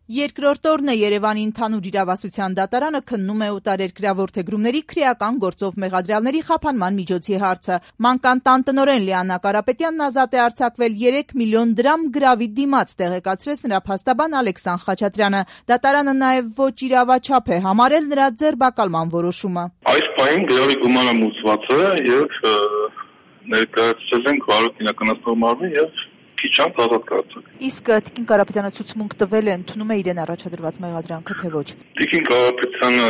Երկրորդ օրն է Երևանի ընդհանուր իրավասության դատարանը քննում է օտարերկրյա որդեգրումների քրեական գործով մեղադրյալների խափանման միջոցի հարցը։ Մանկան տան տնօրեն Լիանա Կարապետյանն ազատ է արձակվել 3 միլիոն դրամ գրավի դիմաց, տեղեկացրեց նրա փաստաբան Ալեքսան Խաչատրյանը։ Դատարանը նաև ոչ իրավաչափ է համարել նրա ձերբակալման որոշումը։ Այս պահին գրավի գումարը մուծված է եւ ներկայացրել ենք վարույթ իրականացնող մարմին եւ քիչ անց ազատ կացակ։ Իսկ Տիկին Կարապետյանը ցուցմունք տվել է, ընդունում է իրեն առաջադրված մեղադրանքը, թե ոչ։ Տիկին Կարապետյանը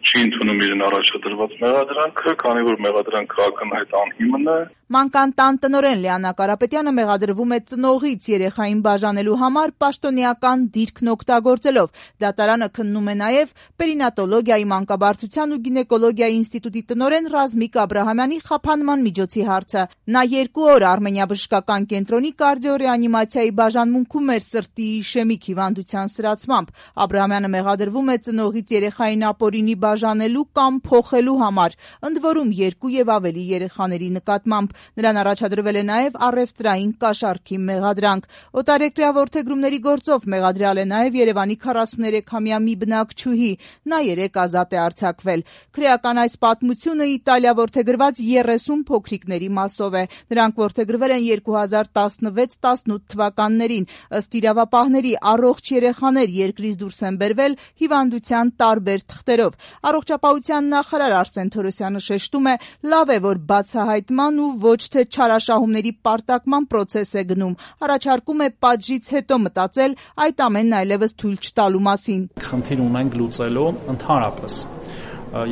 չի ընդունում իրեն առաջադրված մեղադրանքը, քանի որ մեղադրանքը ակնհայտ անհիմն է։ Մանկան տան տնօրեն Լիանա Կարապետյանը մեղադրվում է ծնողից երեխային բաժանելու համար պաշտոնեական դիրքն օգտագործելով։ Դատարանը քննում է նաև պերինատոլոգիայի, մանկաբարձության ու գինեկոլոգիայի ինստիտուտի տնօրեն Ռազմիկ Աբրահամյանի խափանման միջոցի հարցը։ Նա 2 օր Արմենիա բժշկական կենտրոնի կարդիոռեանիմացիայի բաժանմունքում էր սրտի իշեմիկ հիվանդության սրացմամբ։ Աբրահամյանը մեղադրվում է ծնողից երեխային ապօրինի բաժանելու կամ փոխելու համար, ընդ որում 2 եւ ավելի երեխաների նկատմամբ։ Նրան առաջադրվել է նաև առևտրային կաշառքի մեղադրանք։ Օտարերկրյա որդեգրումների գործով մեղադրյալ է նաև Երևանի 43-ամյա մի բնակչուհի։ Նա 3 ազատ է արձակվել։ Քրեական այս պատմությունը Իտալիա որդեգրված 30 փոքրիկների մասով է։ Նրանք որդեգրվել են 2016-18 թվականներին։ Ըստ իրավապահների, առողջ երեխաներ երկրից դուրս են բերվել հիվանդության տարբեր թղթերով։ Առողջապահության նախարար Արսեն Թորոսյանը շեշտում է, լավ է, որ բացահայտման ու ոչ թե չարաշահումների պարտակման պրոցես է գնում, առաջարկում է պատժից հետո մտածել այդ ամենն այլևս թույլ չտալու մասին։ Խնդիր ունենք լուծելու ընդհանրապես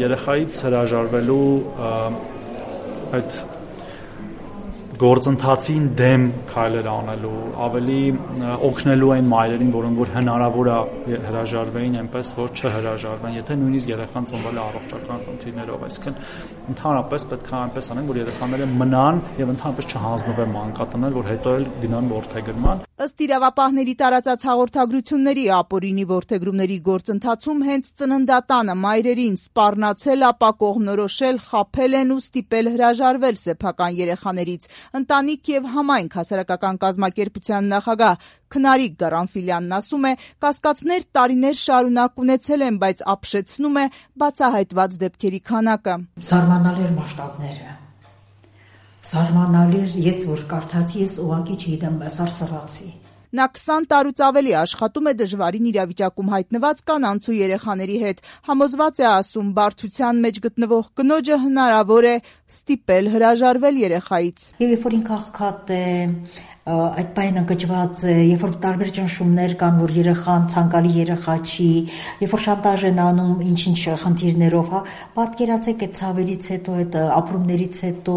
երեխայից հրաժարվելու այդ գործընթացին դեմ քայլեր անելու, ավելի օգնելու այն մայրերին, որոնք որ հնարավոր է հրաժարվեին, այնպես որ չհրաժարվեն, եթե նույնիսկ երեխան ծնվել է առողջական խնդիրներով, այսինքն ընդհանրապես պետք է այնպես անենք, որ երեխաները մնան եւ ընդհանրապես չհանձնվեն մանկատնել, որ հետո էլ գնան որդեգրման։ Ըստ իրավապահների տարածած հաղորդագրությունների, ապօրինի որդեգրումների գործընթացում հենց ծննդատանը մայրերին սպառնացել, ապա կողմնորոշել, խաբել են ու ստիպել հրաժարվել սեփական երեխաներից։ Ընտանիք եւ համայնք հասարակական կազմակերպության նախագահ Քնարիկ Գարանֆիլյանն ասում է, կասկածներ տարիներ շարունակ ունեցել են, բայց ապշեցնում է բացահայտված դեպքերի քանակը։ Զարմանալի մասշտաբները։ Զարմանալի, ես որ կարդացի, ես ուղղակի չգիտեմ, սարսռացի։ Նա 20 տարուց ավելի աշխատում է դժվարին իրավիճակում հայտնված կանանց ու երեխաների հետ։ Համոզված է, ասում, բարդության մեջ գտնվող կնոջը հնարավոր է ստիպել հրաժարվել երեխայից։ Երբ որ ինքը աղքատ է, այդ բանը ընկճված է, երբ որ տարբեր ճնշումներ կան, որ երեխան ցանկալի երեխա չի, երբ որ շանտաժ են անում ինչ-ինչ խնդիրներով, հա, պատկերացեք այդ ցավերից հետո, այդ ապրումներից հետո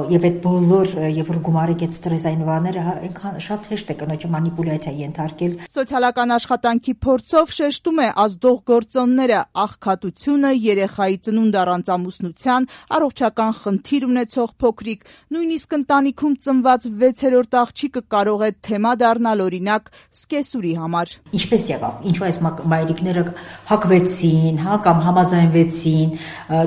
եւ այդ բոլոր, երբ որ գումարեք այդ ստրեսային բաները, հա, այնքան շատ հեշտ է կնոջը մանիպուլյացիա ենթարկել։ Սոցիալական աշխատանքի փորձով շեշտում է ազդող գործոնները՝ աղքատությունը, երեխայի ծնունդ առանց ամուսնության, առողջական խնդիր ունեցող փոքրիկ, նույնիսկ ընտանիքում ծնված 6-րդ աղջիկը կարող է թեմա դառնալ, օրինակ, սկեսուրի համար։ Ինչպես եղավ, ինչու այս մայրիկները հակվեցին, հա, կամ համաձայնվեցին,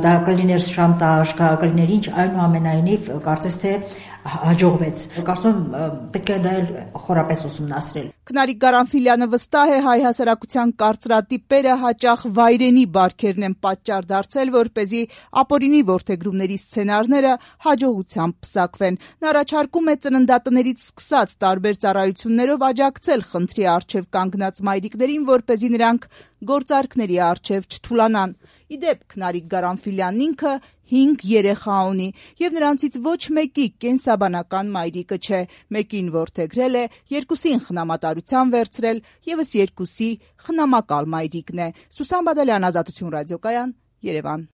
դա կլիներ շանտաժ, կլիներ ինչ, այնուամենայնիվ կարծես թե հաջողվեց։ Կարծում եմ պետք է դա էլ խորապես ուսումնասիրել։ Քնարիկ Գարանֆիլյանը վստահ է, հայ հասարակության կարծրատիպերը հաճախ վայրենի բարքերն են պատճառ դարձել, որպեսզի ապօրինի որդեգրումների սցենարները հաջողությամբ պսակվեն։ Նա առաջարկում է ծննդատներից սկսած տարբեր ծառայություններով աջակցել խնդրի առջև կանգնած մայրիկներին, որպեսզի նրանք գործարքների առջև չթուլանան։ Իդեպ Քնարիկ Գարանֆիլյանն ինքը 5 երեխա ունի եւ նրանցից ոչ մեկի կենսաբանական մայրիկը չէ։ Մեկին որդեգրել է, 2-ին խնամատարության վերցրել, եւս 2-ի խնամակալ մայրիկն է։ Սուսան Բադալյան, Ազատություն ռադիոկայան, Երևան։